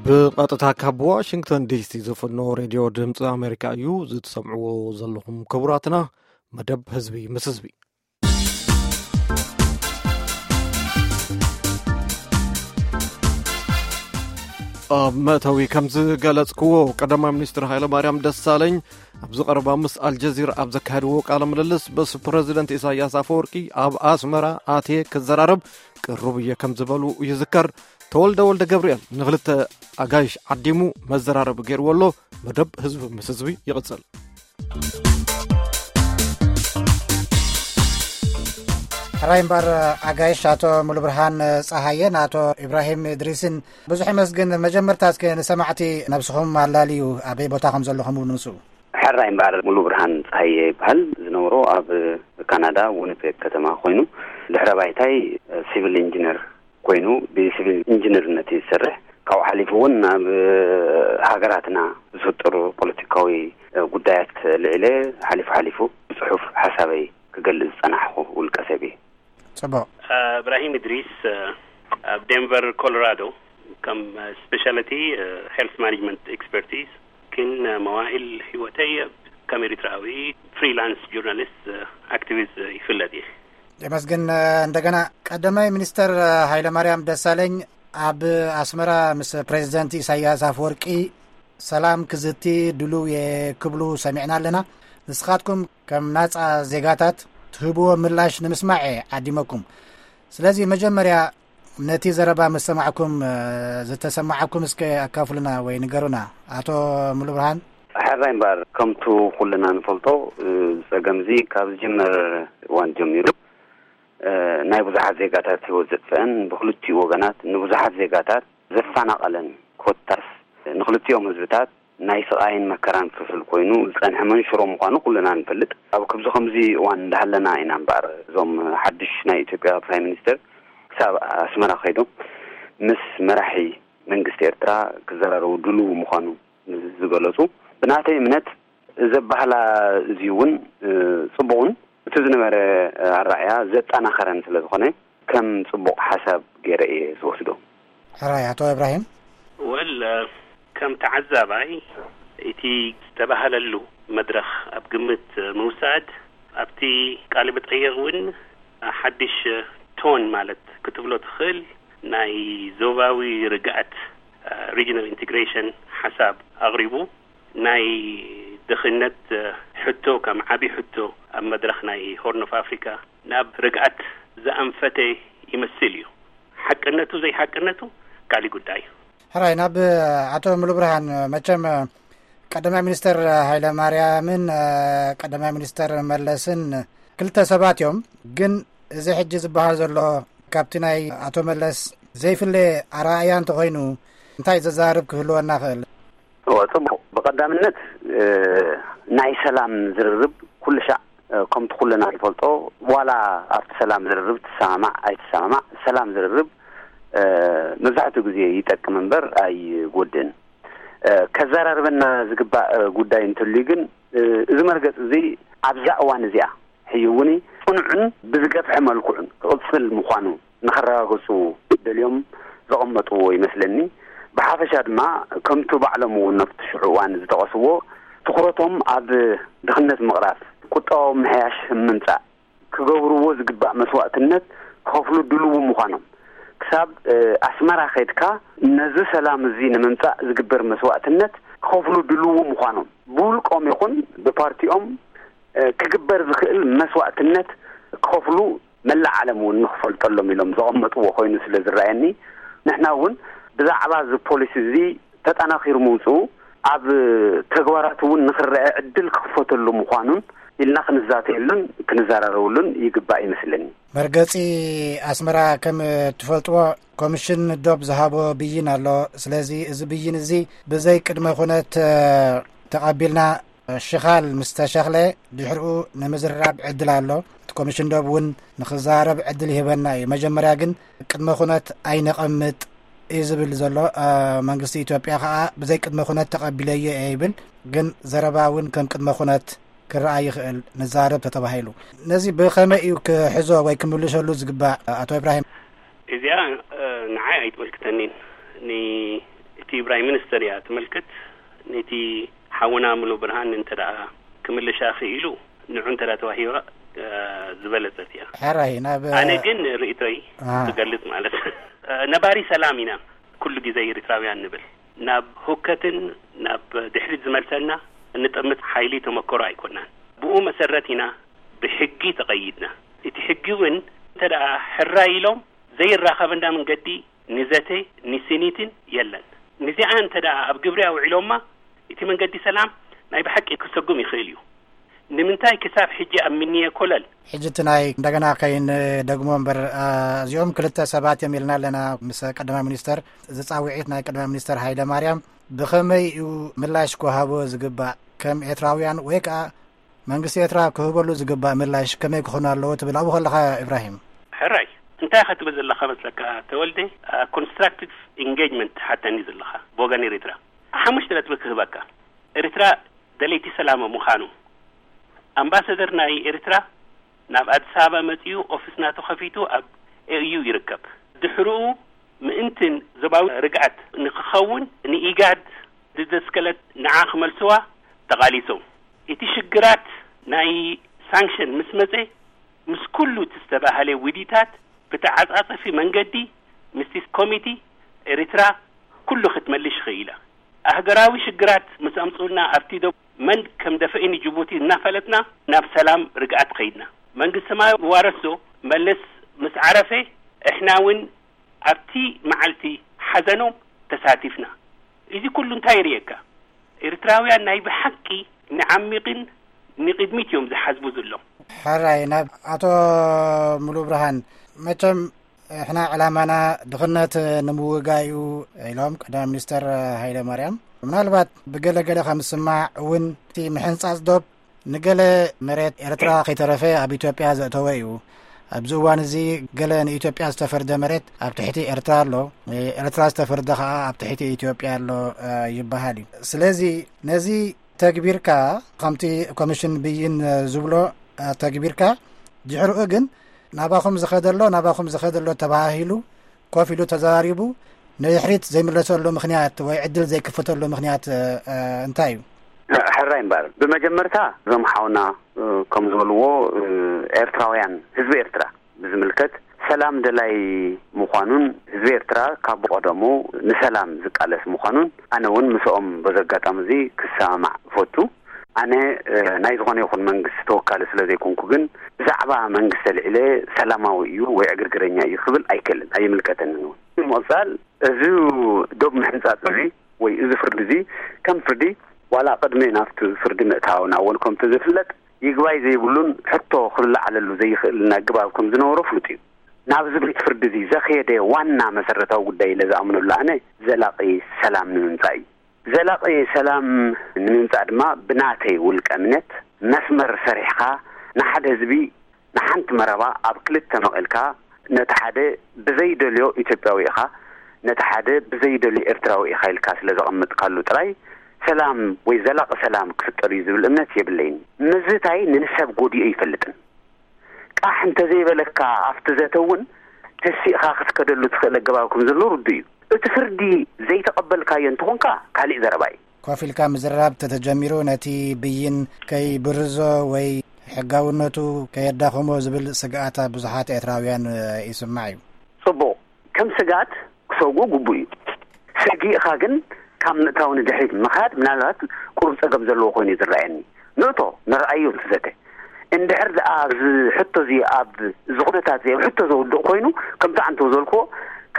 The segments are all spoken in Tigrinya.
ብቐጥታ ካብ ዋሽንግተን ዲሲ ዝፍኖ ሬድዮ ድምፂ ኣሜሪካ እዩ። ዝትሰምዕዎ ዘለኹም ክቡራትና፣ መደብ ህዝቢ ምስ ህዝቢ። ኣብ መእተዊ ከም ዝገለጽክዎ፣ ቀዳማይ ሚኒስትር ሃይለ ማርያም ደሳለኝ ኣብዚ ቀረባ ምስ ኣልጀዚራ ኣብ ዘካየድዎ ቃለ ምልልስ፣ ምስ ፕረዚደንት ኢሳያስ ኣፈወርቂ ኣብ ኣስመራ ኣትየ ክዘራረብ ቅሩብ እየ ከም ዝበሉ ይዝከር። ተወልደ ወልደ ገብርኤል ንክልተ ኣጋይሽ ዓዲሙ መዘራረቢ ገይርዎ ኣሎ። መደብ ህዝቢ ምስ ህዝቢ ይቕጽል። ሕራይ እምበር፣ ኣጋይሽ ኣቶ ሙሉብርሃን ጸሃየን ኣቶ ኢብራሂም እድሪስን ብዙሕ ይመስግን። መጀመርታ እስከ ንሰማዕቲ ነብስኹም ኣላልዩ፣ ኣበይ ቦታ ከም ዘለኹም እውን ምስኡ። ሕራይ እምበር፣ ሙሉ ብርሃን ፀሃየ ይበሃል። ዝነብሮ ኣብ ካናዳ፣ ዊኒፔግ ከተማ ኮይኑ፣ ድሕረ ባይታይ ሲቪል ኢንጂነር ኮይኑ ብሲቪል ኢንጂነርነት እዩ ዝሰርሕ። ካብኡ ሓሊፉ እውን ኣብ ሃገራትና ዝፍጠሩ ፖለቲካዊ ጉዳያት ልዕለ ሓሊፉ ሓሊፉ ብፅሑፍ ሓሳበይ ክገልፅ ዝፀናሕኩ ውልቀ ሰብ እየ። ጽቡቕ። እብራሂም እድሪስ፣ ኣብ ዴንቨር ኮሎራዶ፣ ከም ስፔሻሊቲ ሄልት ማኔጅመንት ኤክስፐርቲዝ፣ ግን መዋእል ህይወተይ ከም ኤሪትራዊ ፍሪላንስ ጆርናሊስት ኣክቲቪስት ይፍለጥ እየ። የመስግን። እንደገና ቀዳማይ ሚኒስተር ሃይለማርያም ደሳለኝ ኣብ ኣስመራ ምስ ፕሬዚደንት ኢሳያስ ኣፈወርቂ ሰላም ክዝቲ ድሉው እየ ክብሉ ሰሚዕና ኣለና። ንስኻትኩም ከም ናጻ ዜጋታት ትህብዎ ምላሽ ንምስማዕ እየ ዓዲመኩም። ስለዚ መጀመርያ ነቲ ዘረባ ምስ ሰማዕኩም፣ እ፣ ዝተሰማዓኩም እስከ ኣካፍሉና ወይ ንገሩና። ኣቶ ሙሉብርሃን። ሕራይ እምበር፣ ከምቱ ኩልና ንፈልጦ፣ እ፣ ጸገምዚ ካብ ዝጅመር እዋን ጀሚሩ፣ እ፣ ናይ ብዙሓት ዜጋታት ህይወት ዘጥፍአን፣ ብክልቲኡ ወገናት ንብዙሓት ዜጋታት ዘፈናቐለን፣ ኮታስ ንክልቲኦም ህዝብታት ናይ ስቓይን መከራን ፍልፍል ኮይኑ ዝጸንሐ መንሽሮ ምዃኑ ኩልና ንፈልጥ። ኣብ ክብዚ ከምዚ እዋን እንዳሃለና ኢና እምበኣር፣ እዞም ሓድሽ ናይ ኢትዮጵያ ፕራይም ሚኒስተር ክሳብ ኣስመራ ከይዶም ምስ መራሒ መንግስቲ ኤርትራ ክዘራረቡ ድልው ምዃኑ ዝገለጹ፣ ብናተይ እምነት፣ እዚ ኣባህላ እዚ እውን፣ እ፣ ጽቡቕን እቲ ዝነበረ ኣረኣእያ ዘጠናኸረን ስለ ዝኾነ፣ ከም ጽቡቕ ሓሳብ ገይረ እየ ዝወስዶ። ሕራይ፣ ኣቶ እብራሂም። ወል፣ ከም ተዓዛባይ፣ እቲ ዝተባህለሉ መድረኽ ኣብ ግምት ምውሳድ፣ ኣብቲ ቃለ መጠይቕ እውን ሓድሽ ቶን ማለት ክትብሎ ትኽእል ናይ ዞባዊ ርግኣት፣ ሪጅናል ኢንቴግሬሽን ሓሳብ ኣቕሪቡ። ናይ ድኽነት ሕቶ ከም ዓቢ ሕቶ ኣብ መድረኽ ናይ ሆርን ኦፍ ኣፍሪካ ናብ ርግኣት ዝኣንፈተ ይመስል እዩ። ሓቅነቱ ዘይሓቅነቱ ካሊእ ጉዳይ እዩ። ሕራይ፣ ናብ ኣቶ ሙሉብርሃን፣ መቸም ቀዳማይ ሚኒስተር ሃይለ ማርያምን ቀዳማይ ሚኒስተር መለስን ክልተ ሰባት እዮም። ግን እዚ ሕጂ ዝበሃል ዘሎ ካብቲ ናይ ኣቶ መለስ ዘይፍለ ኣረኣእያ እንተኾይኑ እንታይ ዘዛርብ ክህልወና ክእል? እወ፣ ጽቡቕ። ብቐዳምነት፣ እ፣ ናይ ሰላም ዝርርብ ኩሉ ሻዕ፣ እ፣ ከምቲ ኩልና ንፈልጦ፣ ዋላ ኣብቲ ሰላም ዝርርብ ትሰማማዕ ኣይትሰማማዕ፣ ሰላም ዝርርብ፣ እ፣ መብዛሕትኡ ግዜ ይጠቅም እምበር ኣይጎድእን። እ፣ ከዘራርበና ዝግባእ፣ እ፣ ጉዳይ እንትህልዩ ግን፣ እ፣ እዚ መርገጽ እዚ ኣብዛ እዋን እዚኣ ሕጂ እውን ጽኑዕን ብዝገፍሐ መልክዑን ክቕጽል ምዃኑ ንኸረጋግጹ ደልዮም ዘቐመጥዎ ይመስለኒ። ብሓፈሻ ድማ ከምቲ ባዕሎም እውን ኣብቲ ሽዑ እዋን ዝጠቐስዎ፣ ትኹረቶም ኣብ ድኽነት ምቕራፍ፣ ቁጠባዊ ምሕያሽ ምምጻእ፣ ክገብርዎ ዝግባእ መስዋእትነት ክኸፍሉ ድልዉ ምዃኖም፣ ክሳብ፣ እ፣ ኣስመራ ከድካ ነዚ ሰላም እዚ ንምምጻእ ዝግበር መስዋእትነት ክኸፍሉ ድልዉ ምዃኖም፣ ብውልቆም ይኹን ብፓርቲኦም፣ እ፣ ክግበር ዝኽእል መስዋእትነት ክኸፍሉ መላእ ዓለም እውን ንኽፈልጠሎም ኢሎም ዘቐመጥዎ ኮይኑ ስለ ዝረኣየኒ፣ ንሕና እውን ብዛዕባ እዚ ፖሊሲ እዚ ተጠናኺሩ ምውፅኡ ኣብ ተግባራት እውን ንኽረአ ዕድል ክኽፈተሉ ምዃኑን ኢልና ክንዛተየሉን ክንዘራረብሉን ይግባእ ይመስለኒ። መርገፂ ኣስመራ ከም እትፈልጥዎ ኮሚሽን ዶብ ዝሃቦ ብይን ኣሎ። ስለዚ እዚ ብይን እዚ ብዘይ ቅድመ ኩነት፣ እ፣ ተቐቢልና ሽኻል ምስ ተሸኽለ ድሕሪኡ ንምዝርራብ ዕድል ኣሎ። እቲ ኮሚሽን ዶብ እውን ንኽዘራረብ ዕድል ይህበና እዩ። መጀመርያ ግን ቅድመ ኩነት ኣይነቐምጥ እዩ ዝብል ዘሎ። እ፣ መንግስቲ ኢትዮጵያ ኸዓ ብዘይ ቅድመ ኩነት ተቐቢለዮ እየ ይብል። ግን ዘረባ እውን ከም ቅድመ ኩነት ክረኣ ይኽእል፣ ንዛረብ ተተባሂሉ። ነዚ ብኸመይ እዩ ክሕዞ ወይ ክምልሸሉ ዝግባእ፣ ኣቶ ኢብራሂም? እዚኣ፣ እ፣ ንዓይ ኣይትምልክተኒን። ን-፣ እቲ እቲ ፕራይም ሚኒስተር እያ ትምልከት። ነቲ ሓውና ሙሉ ብርሃን እንተ ደኣ ክምልሻ ክኢሉ፣ ንዑ እንተ ደኣ ተዋሂባ፣ እ፣ ዝበለጸት እያ። ሕራይ ናብ ኣነ ግን ርእይቶይ አ። ክገልጽ ማለት፣ እ፣ ነባሪ ሰላም ኢና ኩሉ ግዜ ኤርትራውያን ንብል። ናብ ሁከትን ናብ ድሕሪት ዝመልሰና እንጠምት ሓይሊ ተመክሮ ኣይኮናን። ብኡ መሰረት ኢና ብሕጊ ተቐይድና። እቲ ሕጊ እውን እንተ ደኣ ሕራይ ኢሎም ዘይራኸበና መንገዲ ንዘተ ንስኒትን የለን። ንዚኣ እንተ ደኣ ኣብ ግብሪ ኣውዒሎማ፣ እቲ መንገዲ ሰላም ናይ ብሓቂ ክሰጉም ይኽእል እዩ። ንምንታይ ክሳብ ሕጂ ኣብ ምንየ ኮለል? ሕጂ እቲ ናይ እንደገና ከይን ደግሞ እምበር፣ አ፣ እዚኦም ክልተ ሰባት እዮም ኢልና ኣለና ምስ ቀዳማይ ሚኒስተር። ዝጻውዒት ናይ ቀዳማይ ሚኒስተር ሃይለ ማርያም ብኸመይ እዩ ምላሽ ክወሃቦ ዝግባእ? ከም ኤርትራውያን ወይ ከኣ መንግስቲ ኤርትራ ክህበሉ ዝግባእ ምላሽ ከመይ ክኾኑ ኣለዎ ትብል ኣብኡ ከለኻ ኢብራሂም? ሕራይ፣ እንታይ ኢኻ ትብል ዘለኻ መስለካ ተወልደ? አ፣ ኮንስትራክቲቭ ኢንጌጅመንት ትሓተኒ ዘለኻ ብወገን ኤርትራ። ሓሙሽተ ነጥቢ ክህበካ። ኤርትራ ደለይቲ ሰላም ምዃኑ። ኣምባሳደር ናይ ኤርትራ ናብ ኣዲስ ኣበባ መጺኡ ኦፊስ ናቱ ከፊቱ ኣብ ኤዩ ይርከብ። ድሕርኡ ምእንትን ዞባዊ ርግኣት ንክኸውን ንኢጋድ ዝደስከለት ንዓ ክመልስዋ ተቓሊሶም። እቲ ሽግራት ናይ ሳንክሽን ምስ መጸ፣ ምስ ኩሉ እቲ ዝተባህለ ውዲታት ብተዓጻጸፊ መንገዲ ምስቲ ኮሚቲ ኤርትራ ኩሉ ክትመልሽ ኽኢላ። ኣህገራዊ ሽግራት ምስ ኣምጽኡልና ኣብቲ ዶ መን ከም ደፈኢ ንጅቡቲ እናፈለጥና ናብ ሰላም ርግኣት ኸይድና። መንግስቲ ሰማያዊ ዋረሶ መለስ ምስ ዓረፈ እሕና እውን ኣብቲ መዓልቲ ሓዘኖም ተሳቲፍና። እዚ ኩሉ እንታይ የርእየካ? ኤርትራውያን ናይ ብሓቂ ንዓሚቕን ንቕድሚት እዮም ዝሓስቡ ዘለዉ። ሕራይ ናብ ኣቶ ሙሉ ብርሃን፣ መቸም እሕና ዕላማና ድኽነት ንምውጋይ እዩ ኢሎም ቀዳማይ ሚኒስተር ሃይለ ማርያም። ምናልባት ብገለገለ ከም ዝስማዕ እውን እቲ ምሕንጻጽ ዶብ ንገለ መሬት ኤርትራ ከይተረፈ ኣብ ኢትዮጵያ ዘእተወ እዩ። ኣብዚ እዋን እዚ ገለ ንኢትዮጵያ ዝተፈርደ መሬት ኣብ ትሕቲ ኤርትራ ኣሎ፣ ኤርትራ ዝተፈርደ ከኣ ኣብ ትሕቲ ኢትዮጵያ ኣሎ፣ እ፣ ይበሃል እዩ። ስለዚ ነዚ ተግቢርካ ከምቲ ኮሚሽን ብይን ዝብሎ፣ እ፣ ተግቢርካ ድሕርኡ ግን ናባኹም ዝኸደሎ ናባኹም ዝኸደሎ ተባሂሉ ኮፍ ኢሉ ተዘራሪቡ ንድሕሪት ዘይምለሰሉ ምኽንያት ወይ ዕድል ዘይክፈተሉ ምኽንያት፣ እ፣ እንታይ እዩ? ሕራይ እምበኣር፣ ብመጀመርታ እዞም ሓውና፣ እ፣ ከም ዝበልዎ፣ እ፣ ኤርትራውያን፣ ህዝቢ ኤርትራ ብዝምልከት ሰላም ደላይ ምዃኑን ህዝቢ ኤርትራ ካብ ብቐደሙ ንሰላም ዝቃለስ ምዃኑን ኣነ እውን ምስኦም በዚ ኣጋጣሚ እዚ ክሰማማዕ እፈቱ። ኣነ፣ እ፣ ናይ ዝኾነ ይኹን መንግስቲ ተወካሊ ስለ ዘይኮንኩ ግን ብዛዕባ መንግስቲ ኣልዒለ ሰላማዊ እዩ ወይ ዕግርግረኛ እዩ ክብል ኣይክእልን፣ ኣይምልከተንን እውን። ብምቕጻል እዚ ዶብ ምሕንጻጽ እዚ ወይ እዚ ፍርዲ እዚ ከም ፍርዲ ዋላ ቅድሚ ናብቲ ፍርዲ ምእታውና እውን ከምቲ ዝፍለጥ ይግባይ ዘይብሉን ሕቶ ክልዓለሉ ዘይኽእልን ኣገባብ ከም ዝነበሮ ፍሉጥ እዩ። ናብዚ ቤት ፍርዲ እዚ ዘኽየደ ዋና መሰረታዊ ጉዳይ ኢለ ዝኣምነሉ ኣነ ዘላቒ ሰላም ንምምጻእ እዩ። ዘላቒ ሰላም ንምምጻእ ድማ ብናተይ ውልቀ እምነት መስመር ሰሪሕኻ ንሓደ ህዝቢ ንሓንቲ መረባ ኣብ ክልተ መቒልካ ነቲ ሓደ ብዘይደልዮ ኢትዮጵያዊ ኢኻ፣ ነቲ ሓደ ብዘይደልዮ ኤርትራዊ ኢኻ ኢልካ ስለ ዘቐመጥካሉ ጥራይ ሰላም ወይ ዘላቒ ሰላም ክፍጠር እዩ ዝብል እምነት የብለይን። ምዝታይ ንሰብ ጎዲኡ ኣይፈልጥን። ቃሕ እንተዘይበለካ ኣብቲ ዘተ እውን ተሲእኻ ክትከደሉ ትኽእል ኣገባብ ከም ዘሎ ርዱእ እዩ። እቲ ፍርዲ ዘይተቐበልካዮ እንተኾንካ ካሊእ ዘረባ እዩ። ኮፍ ኢልካ ምዝራብ ተተጀሚሩ ነቲ ብይን ከይብርዞ ወይ ሕጋውነቱ ከየዳኽሞ ዝብል ስግኣት ኣብ ብዙሓት ኤርትራውያን ይስማዕ እዩ። ጽቡቕ፣ ከም ስግኣት ክሰግኡ ግቡእ እዩ። ሰጊእኻ ግን ካብ ምእታው ንድሕሪት ምኻድ ምናልባት ቁሩብ ጸገም ዘለዎ ኮይኑ እዩ ዝረኣየኒ። ንእቶ ንርኣዮ እቲ ዘተ እንድሕር ደኣ ኣብዚ ሕቶ እዚ ኣብ እዚ ኩነታት እዚ ኣብ ሕቶ ዘውድቕ ኮይኑ ከምቲ ኣንተ ዝበልክዎ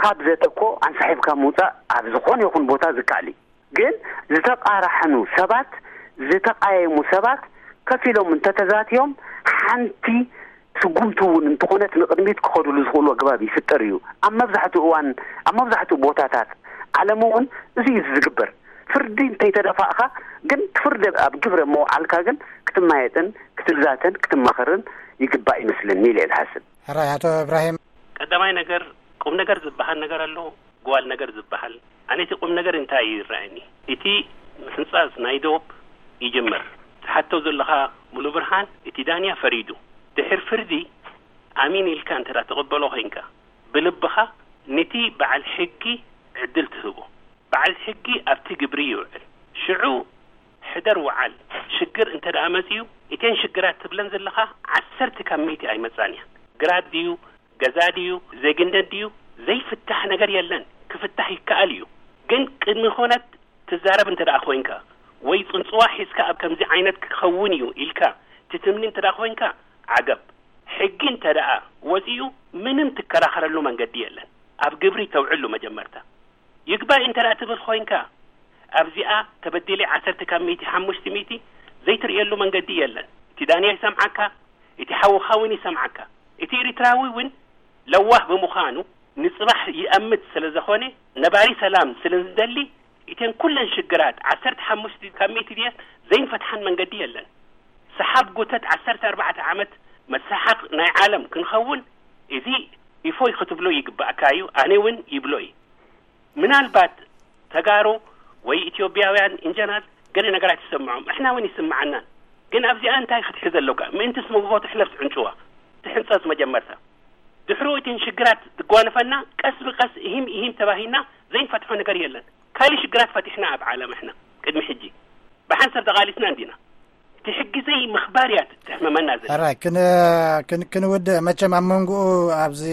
ካብ ዘተ እኮ ኣንሳሒብካ ምውጻእ ኣብ ዝኾነ ይኹን ቦታ ዝከኣል እዩ። ግን ዝተቓራሕኑ ሰባት ዝተቓየሙ ሰባት ከፊሎም እንተተዛትዮም ሓንቲ ስጉምቲ እውን እንተኾነት ንቕድሚት ክኸዱሉ ዝኽእሉ ኣገባብ ይፍጠር እዩ። ኣብ መብዛሕትኡ እዋን ኣብ መብዛሕትኡ ቦታታት ዓለም እውን እዚ እዩ ዝግበር። ፍርዲ እንተይተደፋእኻ ግን ፍርዲ ኣብ ግብረ ምውዓልካ ግን ክትማየጥን ክትዛተን ክትማኸርን ይግባእ ይመስለኒ ኢለ እየ ዝሓስብ። ሕራይ ኣቶ እብራሂም። ቀዳማይ ነገር ቁም ነገር ዝበሃል ነገር ኣሎ፣ ጓል ነገር ዝበሃል። ኣነ እቲ ቁም ነገር እንታይ እዩ ይረኣየኒ? እቲ ምሕንጻጽ ናይ ዶብ ይጅመር። ትሓቶ ዘለኻ ሙሉ ብርሃን፣ እቲ ዳንያ ፈሪዱ። ድሕር ፍርዲ ኣሚን ኢልካ እንተ ትቕበሎ ኮይንካ ብልብኻ ነቲ በዓል ሕጊ ዕድል ትህቦ። በዓል ሕጊ ኣብቲ ግብሪ ይውዕል። ሽዑ ሕደር ውዓል። ሽግር እንተ ደኣ መጺኡ፣ እተን ሽግራት ትብለን ዘለኻ ዓሰርተ ካብ ሚእቲ ኣይመጻን እየን። ግራት ድዩ፣ ገዛ ድዩ፣ ዜግነት ድዩ፣ ዘይፍታሕ ነገር የለን። ክፍታሕ ይከኣል እዩ። ግን ቅድሚ ኩነት ትዛረብ እንተ ደኣ ኮይንካ፣ ወይ ጽንጽዋ ሒዝካ ኣብ ከምዚ ዓይነት ክኸውን እዩ ኢልካ ትትምኒ እንተ ደኣ ኮይንካ፣ ዓገብ። ሕጊ እንተ ደኣ ወጺኡ፣ ምንም ትከራኸረሉ መንገዲ የለን። ኣብ ግብሪ ተውዕሉ መጀመርታ። ይግባይ እንተ ደኣ ትብል ኮይንካ፣ ኣብዚኣ ተበዲለ ዓሰርተ ካብ ሚእቲ፣ ሓሙሽተ ሚእቲ ዘይትርእየሉ መንገዲ የለን። እቲ ዳንያ ይሰምዓካ፣ እቲ ሓውኻ እውን ይሰምዓካ። እቲ ኤርትራዊ እውን ለዋህ ብምዃኑ፣ ንጽባሕ ይኣምት ስለ ዝኾነ፣ ነባሪ ሰላም ስለ ዝደሊ፣ እተን ኩለን ሽግራት ዓሰርተ ሓሙሽተ ካብ ሚእቲ ድየስ ዘይንፈትሓን መንገዲ የለን። ሰሓብ ጉተት ዓሰርተ ኣርባዕተ ዓመት መሳሓቕ ናይ ዓለም ክንኸውን፣ እዚ ኢፎይ ክትብሎ ይግባእካ እዩ፣ ኣነ እውን ይብሎ እዩ። ምናልባት ተጋሩ ወይ ኢትዮጵያውያን ኢንጀነራል ገለ ነገራት ይሰምዖም፣ እሕና እውን ይስምዓናን። ግን ኣብዚኣ እንታይ ክትሕዝ ኣለካ? ምእንቲ ስመጎጎ ትሕለፍ ትዕንጭዋ፣ ትሕንጸጽ መጀመርታ። ድሕሩ እተን ሽግራት ትጓነፈና፣ ቀስ ብቀስ፣ ኢሂም ኢሂም ተባሂና ዘይንፈትሖ ነገር የለን። ካልእ ሽግራት ፈቲሕና ኣብ ዓለም እሕና ቅድሚ ሕጂ ብሓንሳብ ተቓሊስና እንዲና። እቲ ሕጊ ዘይምኽባር እያ ተሕመመና ዘላ። ሕራይ ክን- ክን- ክንውድእ፣ መቸም ኣብ መንጎኡ፣ ኣብዚ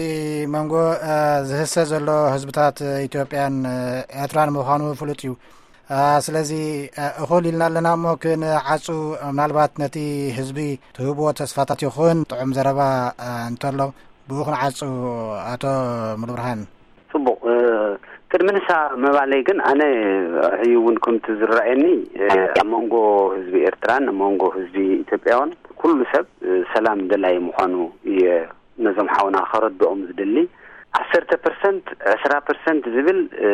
መንጎ እ፣ ዝህሰ ዘሎ ህዝብታት ኢትዮጵያን እ፣ ኤርትራን ምዃኑ ፍሉጥ እዩ። እ፣ ስለዚ እ፣ እኹል ኢልና ኣለና እሞ ክንዓጹ፣ ምናልባት ነቲ ህዝቢ ትህብዎ ተስፋታት ይኹን ጥዑም ዘረባ እ፣ እንተሎ ብኡ ክንዓጹ። ኣቶ ሙሉብርሃን። ጽቡቕ። እ፣ ቅድሚ ንሳ ምባለይ ግን፣ ኣነ ሕዩ እውን ከምቲ ዝረኣየኒ፣ እ፣ ኣብ መንጎ ህዝቢ ኤርትራን ኣብ መንጎ ህዝቢ ኢትዮጵያውን ኩሉ ሰብ እ፣ ሰላም ደላይ ምዃኑ እየ ነዞም ሓውና ከረድኦም ዝደሊ። ዓሰርተ ፐርሰንት፣ ዕስራ ፐርሰንት ዝብል፣ እ፣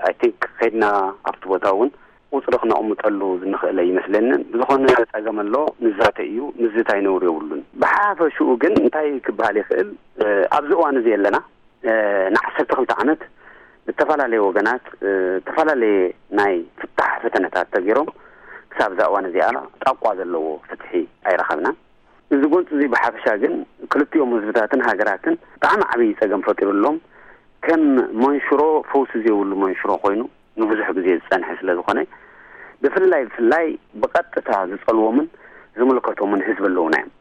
ኣይ ቲንክ ከይድና ኣብቲ ቦታ እውን ቁጽሪ ክነቕምጠሉ ዝንኽእል ኣይመስለንን። ብዝኾነ ጸገም ኣሎ፣ ንዛተ እዩ፣ ምዝታይ ነውሪ የብሉን። ብሓፈሽኡ ግን እንታይ ክበሃል ይኽእል? እ፣ ኣብዚ እዋን እዚ ኣለና፣ እ፣ ንዓሰርተ ክልተ ዓመት ብተፈላለየ ወገናት፣ እ፣ ዝተፈላለየ ናይ ፍታሕ ፈተነታት ተገይሮም ክሳብ እዛ እዋን እዚኣ ጣቋ ዘለዎ ፍትሒ ኣይረኸብናን። እዚ ጎንፂ እዚ ብሓፈሻ ግን ክልቲኦም ህዝብታትን ሃገራትን ብጣዕሚ ዓብዪ ፀገም ፈጢሩሎም፣ ከም መንሽሮ፣ ፈውሲ ዘይብሉ መንሽሮ ኮይኑ ንብዙሕ ግዜ ዝፀንሐ ስለ ዝኾነ፣ ብፍላይ ብፍላይ ብቐጥታ ዝፀልዎምን ዝምልከቶምን ህዝቢ ኣለውና እዮም።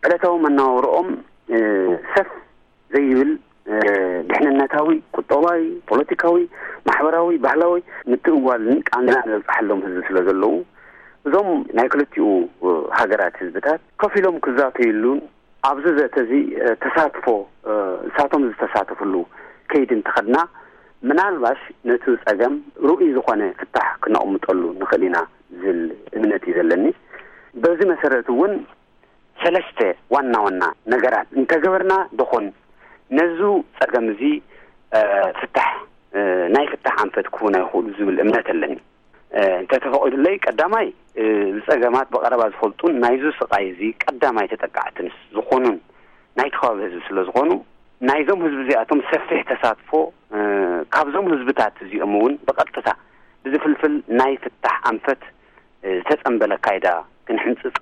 ዕለታዊ መነባብሮኦም፣ እ፣ ሰፍ ዘይብል፣ እ፣ ድሕንነታዊ፣ ቁጠባዊ፣ ፖለቲካዊ፣ ማሕበራዊ፣ ባህላዊ ምትእዋልን ቃንዛን ዘብፅሓሎም ህዝቢ ስለ ዘለዉ፣ እዞም ናይ ክልቲኡ ሃገራት ህዝብታት ከፊሎም ክዛተዩሉን ኣብዚ ዘተ እዚ፣ እ፣ ተሳትፎ፣ እ፣ ንሳቶም ዝተሳተፍሉ ከይዲ እንተኸድና፣ ምናልባሽ ነቲ ጸገም ርኡይ ዝኾነ ፍታሕ ክነቕምጠሉ ንኽእል ኢና ዝብል እምነት እዩ ዘለኒ። በዚ መሰረት እውን ሰለስተ ዋና ዋና ነገራት እንተገበርና ደኾን ነዙ ጸገም እዚ፣ እ፣ ፍታሕ፣ እ፣ ናይ ፍታሕ ኣንፈት ክህቡና ይኽእሉ ዝብል እምነት ኣለኒ። እ፣ እንተተፈቒዱለይ፣ ቀዳማይ፣ እ፣ ዝጸገማት ብቐረባ ዝፈልጡን ናይዙ ስቓይ እዚ ቀዳማይ ተጠቃዕትን ዝኾኑን ናይቲ ከባቢ ህዝቢ ስለ ዝኾኑ፣ ናይዞም ህዝቢ እዚኣቶም ሰፊሕ ተሳትፎ፣ እ፣ ካብዞም ህዝብታት እዚኦም እውን ብቐጥታ ብዝፍልፍል ናይ ፍታሕ ኣንፈት፣ እ፣ ዝተጸንበለ ኣካይዳ ክንሕንጽጽ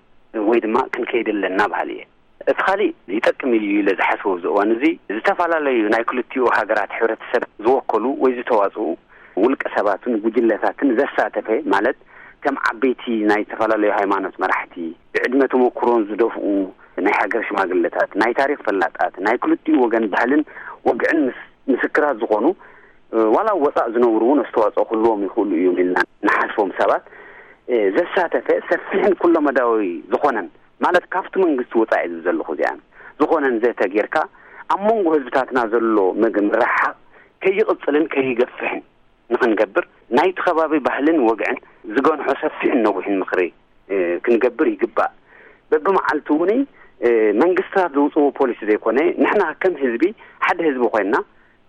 ወይ ድማ ክንከይድ ኣለና በሃሊ እየ። እቲ ካሊእ ይጠቅም ኢሉ ኢለ ዝሓስቦ ኣብዚ እዋን እዚ፣ ዝተፈላለዩ ናይ ክልቲኡ ሃገራት ሕብረተሰብ ዝወከሉ ወይ ዝተዋጽኡ ውልቀ ሰባትን ጉጅለታትን ዘሳተፈ፣ ማለት ከም ዓበይቲ ናይ ዝተፈላለዩ ሃይማኖት መራሕቲ፣ ብዕድመ ተመኩሮን ዝደፍኡ ናይ ሃገር ሽማግለታት፣ ናይ ታሪኽ ፈላጣት፣ ናይ ክልቲኡ ወገን ባህልን ወግዕን ምስ-፣ ምስክራት ዝኾኑ፣ እ፣ ዋላ ኣብ ወጻእ ዝነብሩ እውን ኣስተዋጽኦ ክህልዎም ይኽእሉ እዮም ኢልና ንሓስቦም ሰባት፣ እ፣ ዘሳተፈ ሰፊሕን ኩለመዳያዊ ዝኾነን፣ ማለት ካብቲ መንግስቲ ወጻኢ ዝብል ዘለኹ እዚኣን፣ ዝኾነን ዘተ ጌርካ፣ ኣብ መንጎ ህዝብታትና ዘሎ መግ-፣ ምርሕሓቕ ከይቕጽልን ከይገፍሕን ንኽንገብር፣ ናይቲ ከባቢ ባህልን ወግዕን ዝገንሖ ሰፊሕን ነዊሕን ምኽሪ፣ እ፣ ክንገብር ይግባእ። በብመዓልቱ እውን፣ እ፣ መንግስታት ዘውፅዎ ፖሊሲ ዘይኮነ፣ ንሕና ከም ህዝቢ፣ ሓደ ህዝቢ ኮይንና፣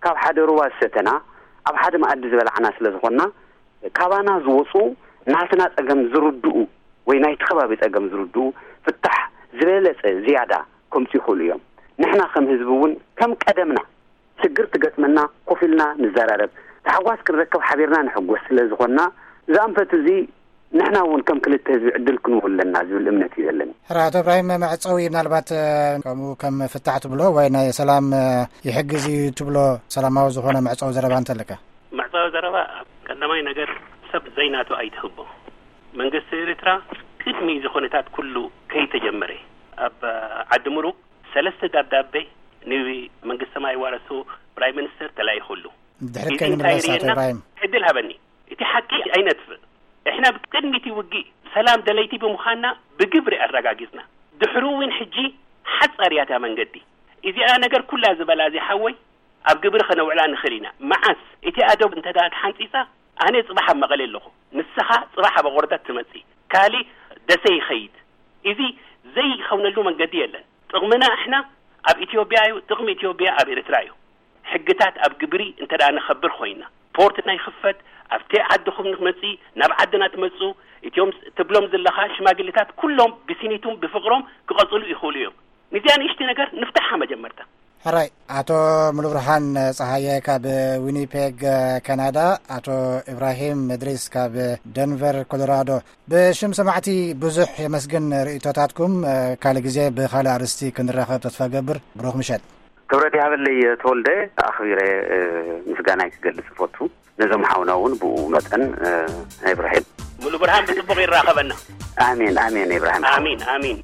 ካብ ሓደ ሩባ ዝሰተና፣ ኣብ ሓደ መኣዲ ዝበላዕና ስለ ዝኾንና፣ ካባና ዝወፁ ናትና ፀገም ዝርድኡ ወይ ናይቲ ከባቢ ፀገም ዝርድኡ ፍታሕ ዝበለፀ ዝያዳ ከምፁ ይኽእሉ እዮም። ንሕና ከም ህዝቢ እውን ከም ቀደምና ሽግር ትገጥመና ኮፍ ኢልና ንዘራረብ፣ ታሕጓስ ክንረከብ ሓቢርና ንሕጎስ ስለ ዝኾንና፣ እዚ ኣንፈት እዚ ንሕና እውን ከም ክልተ ህዝቢ ዕድል ክንህቦ ኣለና ዝብል እምነት እዩ ዘለኒ። ሕራ፣ ኣቶ እብራሂም፣ መዕጸዊ ምናልባት፣ እ፣ ከምኡ ከም ፍታሕ ትብሎ ወይ ናይ ሰላም፣ እ፣ ይሕግዝ እዩ ትብሎ ሰላማዊ ዝኾነ መዕጸዊ ዘረባ እንተለካ? መዕጸዊ ዘረባ ኣብ ቀዳማይ ነገር፣ ሰብ ዘይናቱ ኣይትህቦ። መንግስቲ ኤርትራ ቅድሚ እዚ ኩነታት ኩሉ ከይተጀመረ፣ ኣብ ዓዲ ምሩቕ ሰለስተ ደብዳቤ ንመንግስቲ ማይ ዋረሱ ፕራይም ሚኒስተር ተላኢኹሉ። ድሕሪ እዚ እንታይ ከይንምለስ፣ ኣቶ ርእየና? ኢብራሂም። ዕድል ሃበኒ። እቲ ሓቂ ኣይነጥፍእ። እሕና ብቅድሚ እቲ ውግእ ሰላም ደለይቲ ብምዃንና ብግብሪ ኣረጋጊጽና። ድሕሩ እውን ሕጂ ሓጻር እያ እታ መንገዲ። እዚኣ ነገር ኩላ ዝበላ እዚ ሓወይ ኣብ ግብሪ ከነውዕላ ንኽእል ኢና። መዓስ እቲ ኣደብ እንተ ደኣ ተሓንጺጻ፣ ኣነ ጽባሕ ኣብ መቐለ ኣለኹ፣ ንስኻ ጽባሕ ኣብ ኣቑርደት ትመጽእ፣ ካሊ ደሴ ይኸይድ። እዚ ዘይኸውነሉ መንገዲ የለን። ጥቕምና እሕና ኣብ ኢትዮጵያ እዩ፣ ጥቕሚ ኢትዮጵያ ኣብ ኤርትራ እዩ። ሕግታት ኣብ ግብሪ እንተ ደኣ ነኸብር ኮይና፣ ፖርትና ይኽፈት፣ ኣብቲ ዓድኹም ንመጽእ፣ ናብ ዓድና ትመጽኡ፣ እቲኦም ትብሎም ዘለኻ ሽማግሌታት ኩሎም ብስኒቱም ብፍቕሮም ክቐጽሉ ይኽእሉ እዮም። ንዚኣ ንእሽቲ ነገር ንፍታሓ መጀመርታ። ሕራይ፣ ኣቶ ሙሉብርሃን ጸሃየ ካብ ዊኒፔግ ካናዳ፣ ኣቶ ኢብራሂም እድሪስ ካብ ደንቨር ኮሎራዶ፣ ብሽም ሰማዕቲ ብዙሕ የመስግን ርእይቶታትኩም። ካልእ ግዜ ብኻልእ ኣርእስቲ ክንራኸብ ተስፋ ገብር። ብሩኽ ምሸት። ክብረት ይሃበለይ ተወልደ፣ ኣኽቢረ ምስጋናይ ክገልጽ እፈቱ። ነዞም ሓውና እውን ብኡ መጠን። ኢብራሂም ሙሉ ብርሃን ብጽቡቕ ይራኸበና። ኣሜን፣ ኣሜን። ኢብራሂም ኣሚን ኣሚን።